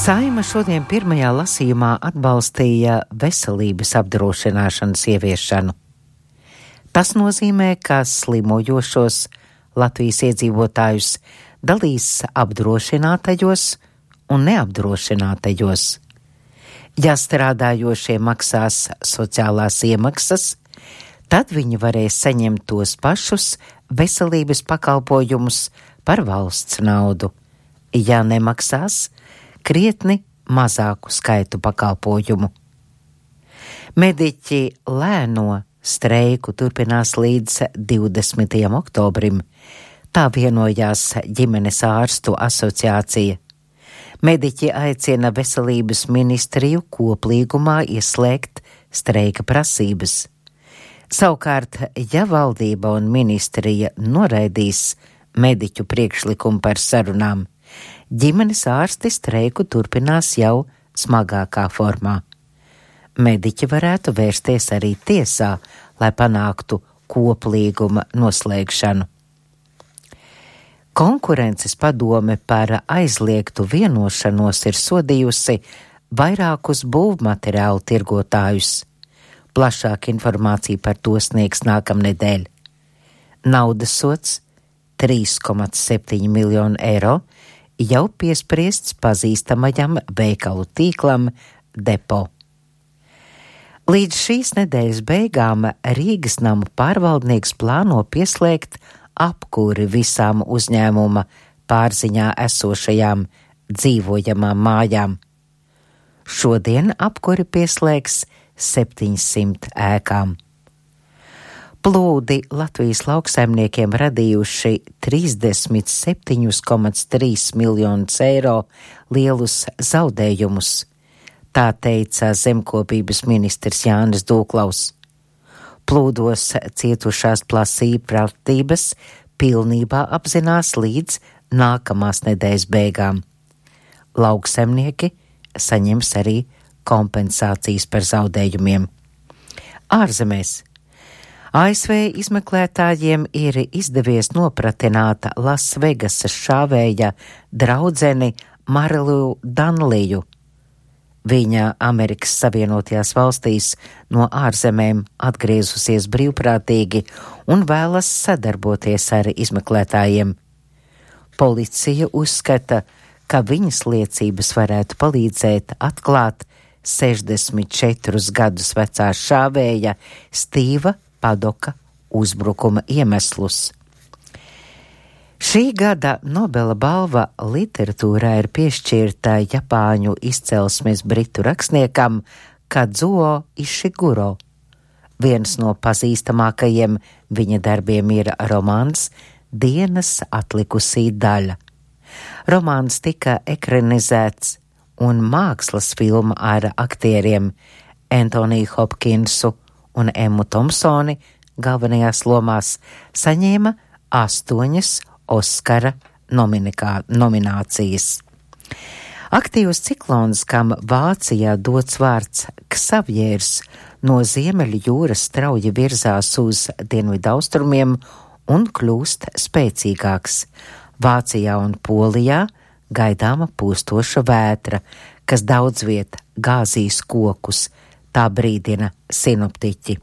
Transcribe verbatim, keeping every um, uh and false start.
Saeima šodien pirmajā lasījumā atbalstīja veselības apdrošināšanas ieviešanu. Tas nozīmē, ka slimojošos Latvijas iedzīvotājus dalīs apdrošinātajos un neapdrošinātajos. Ja strādājošie maksās sociālās iemaksas, tad viņi varēs saņemt tos pašus veselības pakalpojumus par valsts naudu. Ja nemaksās, krietni mazāku skaitu pakalpojumu. Mediķi lēno streiku turpinās līdz divdesmitajam oktobrim. Tā vienojās ģimenes ārstu asociācija. Mediķi aicina veselības ministriju koplīgumā ieslēgt streika prasības. Savukārt, ja valdība un ministrija noraidīs mediķu priekšlikumu par sarunām, ģimenes ārsti streiku turpinās jau smagākā formā. Mediķi varētu vērsties arī tiesā, lai panāktu koplīguma noslēgšanu. Konkurences padome par aizliegtu vienošanos ir sodījusi vairākus būvmateriālu tirgotājus. Plašāka informācija par to sniegs nākamnedēļ. Naudas sods trīs komats septiņi miljonu eiro jau piespriests pazīstamajam veikalu tīklam Depo. Līdz šīs nedēļas beigām Rīgas namu pārvaldnieks plāno pieslēgt apkuri visām uzņēmuma pārziņā esošajām dzīvojamām mājām. Šodien apkuri pieslēgs septiņsimt ēkām. Plūdi Latvijas lauksaimniekiem radījuši trīsdesmit septiņi komats trīs miljonus eiro lielus zaudējumus, tā teica zemkopības ministrs Jānis Dūklaus. Plūdos cietušās plasīju pratības pilnībā apzinās līdz nākamās nedēļas beigām. Lauksaimnieki saņems arī kompensācijas par zaudējumiem. Ārzemēs A S V izmeklētājiem ir izdevies nopratināt Lasvegasas šāvēja draudzeni Marilu Danliju. Viņa Amerikas Savienotajās valstīs no ārzemēm atgriezusies brīvprātīgi un vēlas sadarboties ar izmeklētājiem. Policija uzskata, ka viņas liecības varētu palīdzēt atklāt sešdesmit četrus gadus vecā šāvēja Stīva Padoka uzbrukuma iemeslus. Šī gada Nobela balva literatūrā ir piešķirta Japāņu izcelsmes britu rakstniekam Kazuo Ishiguro. Viens no pazīstamākajiem viņa darbiem ir romāns Dienas atlikusī daļa. Romāns tika ekranizēts un mākslas filma ar aktieriem Antoniju Hopkinsu un Emmu Thompsoni galvenajās lomās saņēma astoņas Oskara nominikā, nominācijas. Aktīvs ciklons, kam Vācijā dots vārds Ksavjērs, no Ziemeļu jūras strauji virzās uz dienvidaustrumiem un kļūst spēcīgāks. Vācijā un Polijā gaidāma pūstoša vētra, kas daudz viet gāzīs kokus, tā brīdina sinoptiķi.